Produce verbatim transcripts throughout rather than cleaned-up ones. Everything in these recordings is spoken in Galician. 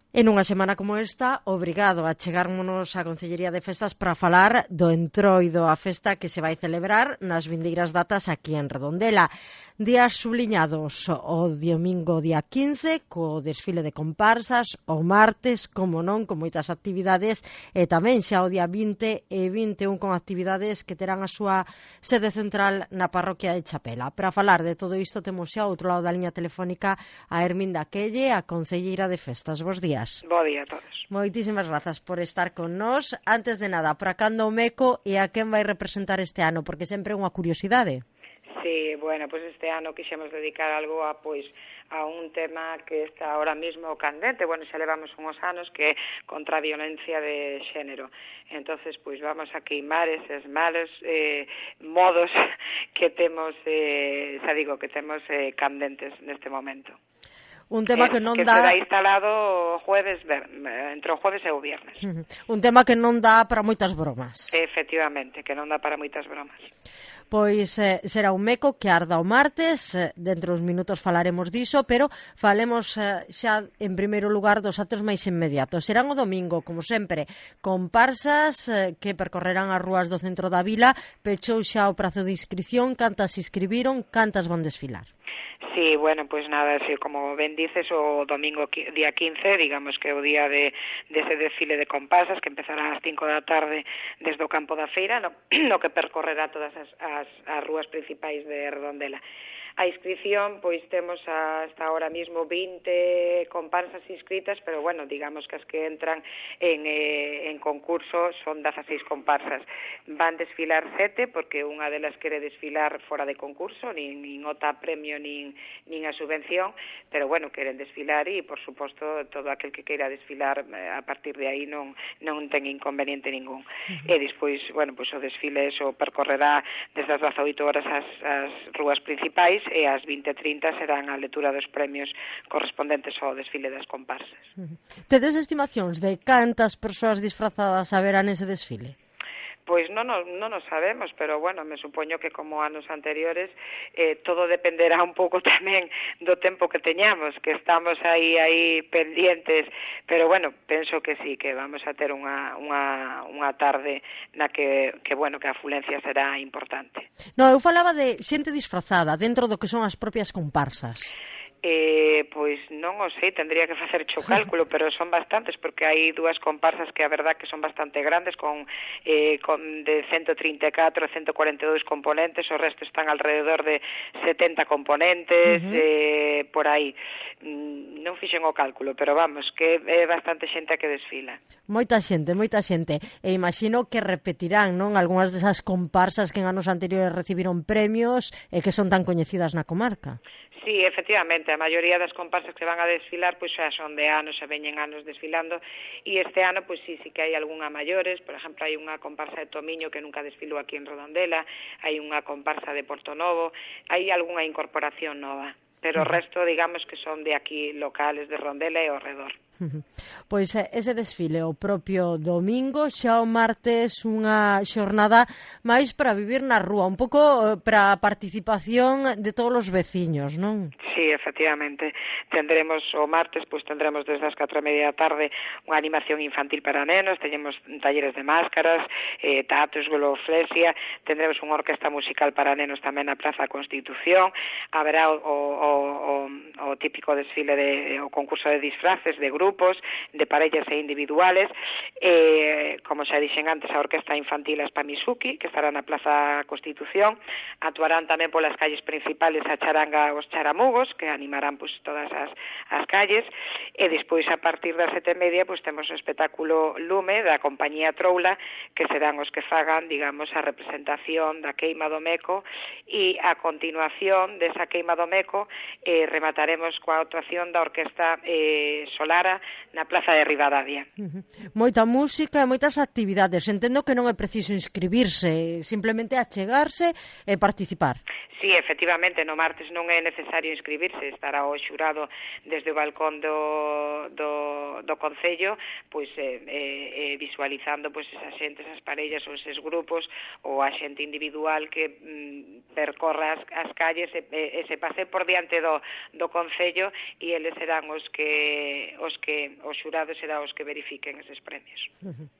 En unha semana como esta, obrigado a chegármonos á Concellería de Festas para falar do Entroido, a festa que se vai celebrar nas vindeiras datas aquí en Redondela. Días subliñados o domingo día quince, co desfile de comparsas, o martes, como non, con moitas actividades, e tamén xa o día vinte e vinte e un con actividades que terán a súa sede central na parroquia de Chapela. Para falar de todo isto temos xa ao outro lado da liña telefónica a Herminda Quelle, a Concelleira de Festas. Bos días. Bo día a todos. Moitísimas grazas por estar con nós. Antes de nada, para cando o Meco e a quen vai representar este ano? Porque sempre é unha curiosidade. Sí, bueno, pois pues este ano quixemos dedicar algo a, pois, a un tema que está ahora mismo candente, bueno, xa levamos uns anos, que é contra a violencia de xénero. Entonces, pois vamos a queimar eses malos eh, modos que temos, eh, xa digo, que temos eh, candentes neste momento. Un tema que non que dá... será instalado o jueves, entre o jueves e o viernes. Un tema que non dá para moitas bromas. Efectivamente, que non dá para moitas bromas. Pois eh, será un Meco que arda o martes, eh, dentro dos minutos falaremos diso, pero falemos eh, xa en primeiro lugar dos actos máis inmediatos. Serán o domingo, como sempre, comparsas eh, que percorrerán as rúas do centro da vila. Pechou xa o prazo de inscripción, cantas se inscribiron, cantas van desfilar? Sí, bueno, pues nada, sí, como ben dices, o domingo día quince, digamos que é o día de, de ese desfile de comparsas que empezará ás cinco da tarde desde o campo da feira, no, no que percorrerá todas as, as, as rúas principais de Redondela. A inscripción, pois temos hasta ahora mismo vinte comparsas inscritas, pero bueno, digamos que as que entran en, eh, en concurso son dezaseis comparsas. Van desfilar sete, porque unha delas quere desfilar fora de concurso, nin, nin ota premio, nin, nin a subvención, pero bueno, queren desfilar e, por suposto, todo aquel que queira desfilar a partir de aí non, non ten inconveniente ningún. Uh-huh. E despois, bueno, pois o desfile eso percorrerá desde as dezaoito horas as, as rúas principais, e ás vinte e trinta serán a lectura dos premios correspondentes ao desfile das comparsas. Uh-huh. Tedes estimacións de cantas persoas disfrazadas haberán ese desfile? Pois non, non, non nos sabemos, pero bueno, me supoño que como anos anteriores eh, todo dependerá un pouco tamén do tempo que teñamos, que estamos aí aí pendientes, pero bueno, penso que sí, que vamos a ter unha, unha, unha tarde na que, que, bueno, que a afluencia será importante. No, eu falaba de xente disfrazada dentro do que son as propias comparsas. Eh, pois non o sei, tendría que facer o cálculo, pero son bastantes, porque hai dúas comparsas que a verdad que son bastante grandes, con, eh, con de ciento trinta e catro a ciento cuarenta e dous componentes, o resto están alrededor de setenta componentes, uh-huh. eh, por aí. Mm, non fixen o cálculo, pero vamos, que é bastante xente a que desfila. Moita xente, moita xente. E imagino que repetirán, non, algunhas desas comparsas que en anos anteriores recibiron premios e que son tan coñecidas na comarca. Sí, efectivamente, a maioría das comparsas que van a desfilar pois xa son de anos, xa veñen anos desfilando, e este ano pois sí, sí que hai algunha maiores, por exemplo, hai unha comparsa de Tomiño que nunca desfilou aquí en Redondela, hai unha comparsa de Portonovo, hai algunha incorporación nova, pero o resto, digamos, que son de aquí locales de Redondela e ao redor. Pois ese desfile o propio domingo, xa o martes unha xornada máis para vivir na rúa, un pouco para a participación de todos os veciños, non? Sí, efectivamente. Tendremos o martes, pois tendremos desde as catro e media da tarde unha animación infantil para nenos, teñemos talleres de máscaras, eh, tatus, globoflexia, tendremos unha orquesta musical para nenos tamén na Praza Constitución, haberá o, o, o, o típico desfile de o concurso de disfraces de grupos, de parellas e individuales, eh, como xa dixen antes, a orquesta infantil Aspa Misuki, que estará na Plaza Constitución, actuarán tamén polas calles principales a charanga os charamugos, que animarán pues, todas as, as calles, e despois a partir das sete e media pues, temos o espectáculo Lume da compañía Troula, que serán os que fagan, digamos, a representación da queima do Meco, e a continuación desa queima do Meco eh, remataremos coa actuación da orquesta eh, Solara na Plaza de Ribadavia. Uh-huh. Moita música e moitas actividades. Entendo que non é preciso inscribirse, simplemente achegarse e participar. Sí, efectivamente, no martes non é necesario inscribirse, estará o xurado desde o balcón do, do, do, do Concello, pois eh, eh, visualizando pois esa xente, esas parellas ou eses grupos ou a xente individual que mm, percorra as, as calles e, e, e se pase por diante do, do Concello e eles serán os que os que os xurados serán os que verifiquen eses premios. Uh-huh.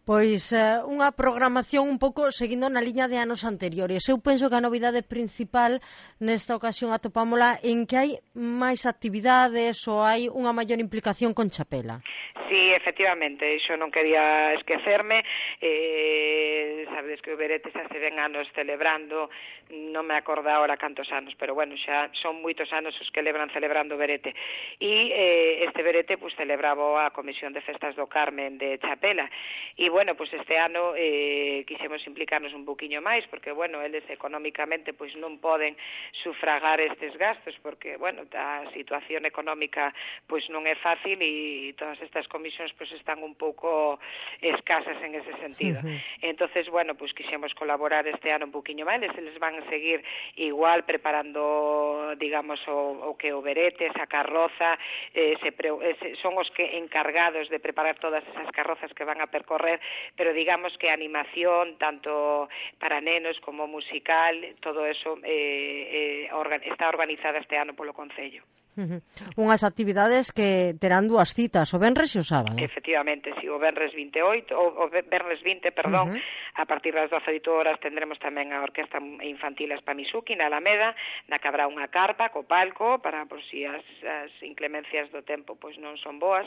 Pois eh, unha programación un pouco seguindo na liña de anos anteriores. Eu penso que a novidade principal nesta ocasión atopámola en que hai máis actividades ou hai unha maior implicación con Chapela. Sí, efectivamente, iso non quería esquecerme. Eh, sabedes que o Berete xa se ven anos celebrando, non me acordo ahora cantos anos, pero bueno, xa son moitos anos os que lebran celebrando o Berete. E eh, este Berete pues, celebraba a Comisión de Festas do Carmen de Chapela. E, bueno, pues este ano eh, quixemos implicarnos un poquinho máis, porque, bueno, eles económicamente pues, non poden sufragar estes gastos, porque, bueno, a situación económica pues, non é fácil e todas estas comisións pues, están un pouco escasas en ese sentido. Uh-huh. Entonces, bueno, pues quixemos colaborar este ano un poquinho máis, eles van a seguir igual preparando, digamos, o, o que o Berete, esa carroza, eh, se pre, eh, son os que encargados de preparar todas esas carrozas que van a percorrer, pero digamos que a animación, tanto para nenos como musical, todo eso eh, eh, organ, está organizada este ano polo Concello. Uh-huh. Unhas actividades que terán dúas citas, o venres e o sábado. Efectivamente, si, o venres vinte e oito, o, o venres vinte, perdón, uh-huh. A partir das doce horas tendremos tamén a Orquesta Infantil Aspamisuki na Alameda, na que habrá unha carpa co palco para por si as, as inclemencias do tempo pois non son boas,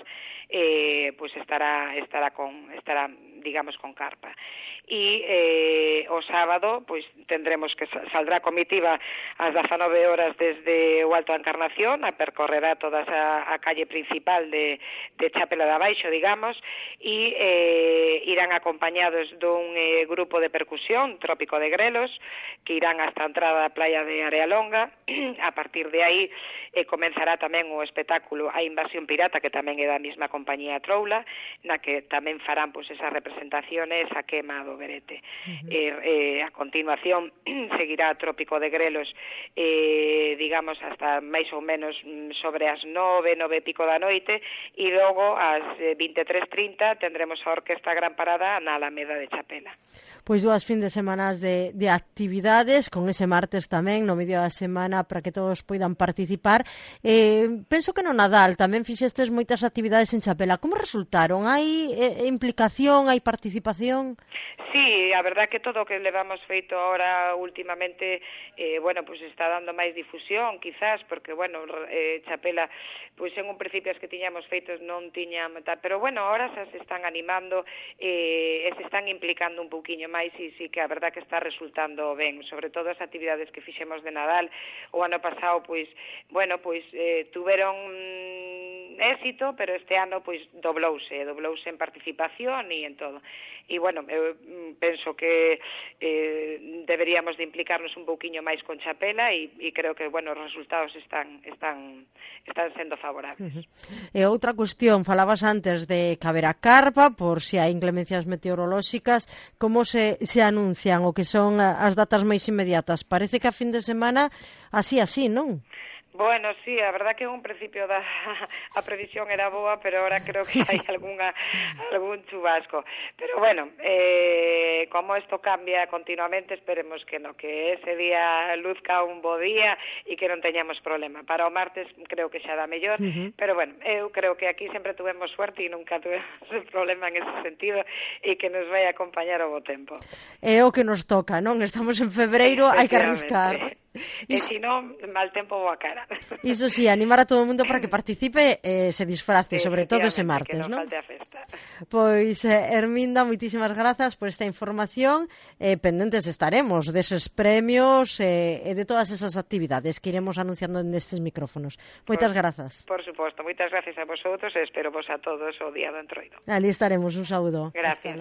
eh, pois estará estará con estará digamos con carpa. E eh, o sábado pois tendremos que saldrá a comitiva ás dezanove horas desde o Alto da Encarnación, a percorrerá toda a, a calle principal de, de Chapela de Abaixo, digamos, e eh, irán acompañados dun eh, grupo de percusión, Trópico de Grelos, que irán hasta a entrada da playa de Arealonga. A partir de aí eh, comenzará tamén o espectáculo A Invasión Pirata, que tamén é da mesma compañía Troula, na que tamén farán pois, esas representaciones a quema do Berete. Uh-huh. eh, eh, a continuación seguirá Trópico de Grelos, eh, digamos, hasta máis ou menos sobre as nove, nove e pico da noite, e logo ás vinte e tres trinta tendremos a Orquesta Gran Parada na Alameda de Chapela. Pois dúas fin de semanas de, de actividades, con ese martes tamén, no medio da semana, para que todos poidan participar. Eh, penso que no Nadal tamén fixestes moitas actividades en Chapela. Como resultaron? Hai eh, implicación, hai participación? Sí, a verdad que todo o que levamos feito ahora últimamente, eh, bueno, pues está dando máis difusión, quizás, porque, bueno, eh, Chapela, pois en un principio as que tiñamos feitos non tiñan tal, pero, bueno, ahora xa se están animando eh, e se están implicando un pouquiño máis e sí que a verdad que está resultando ben, sobre todo as actividades que fixemos de Nadal o ano pasado, pois, bueno, pois eh, tuveron éxito, pero este ano pois doblouse, doblouse en participación e en todo. E bueno, eu penso que eh, deberíamos de implicarnos un pouquiño máis con Chapela e, e creo que, bueno, os resultados están están están sendo favorables. Uh-huh. E outra cuestión, falabas antes de que haberá carpa por se hai inclemencias meteorolóxicas, como se, se anuncian o que son as datas máis inmediatas? Parece que a fin de semana así, así, non? Bueno, sí, a verdad que en un principio da, a previsión era boa, pero ahora creo que hai algunha, algún chubasco. Pero bueno, eh, como isto cambia continuamente, esperemos que no, que ese día luzca un bo día e que non teñamos problema. Para o martes creo que xa dá mellor, uh-huh. Pero bueno, eu creo que aquí sempre tuvemos suerte e nunca tuvemos problema en ese sentido e que nos vai acompañar o bo tempo. É o que nos toca, non? Estamos en febreiro, hai que arriscar. E se non, mal tempo boa cara. Iso sí, animar a todo o mundo para que participe e eh, se disfrace, sobre todo ese martes, non? non? Pois, eh, Herminda, moitísimas grazas por esta información. Eh, pendentes estaremos deses premios eh, e de todas esas actividades que iremos anunciando nestes micrófonos. Moitas grazas. Por suposto, moitas gracias a vosotros e espero vos a todos o día do Entroido. Ali estaremos, un saúdo. Gracias.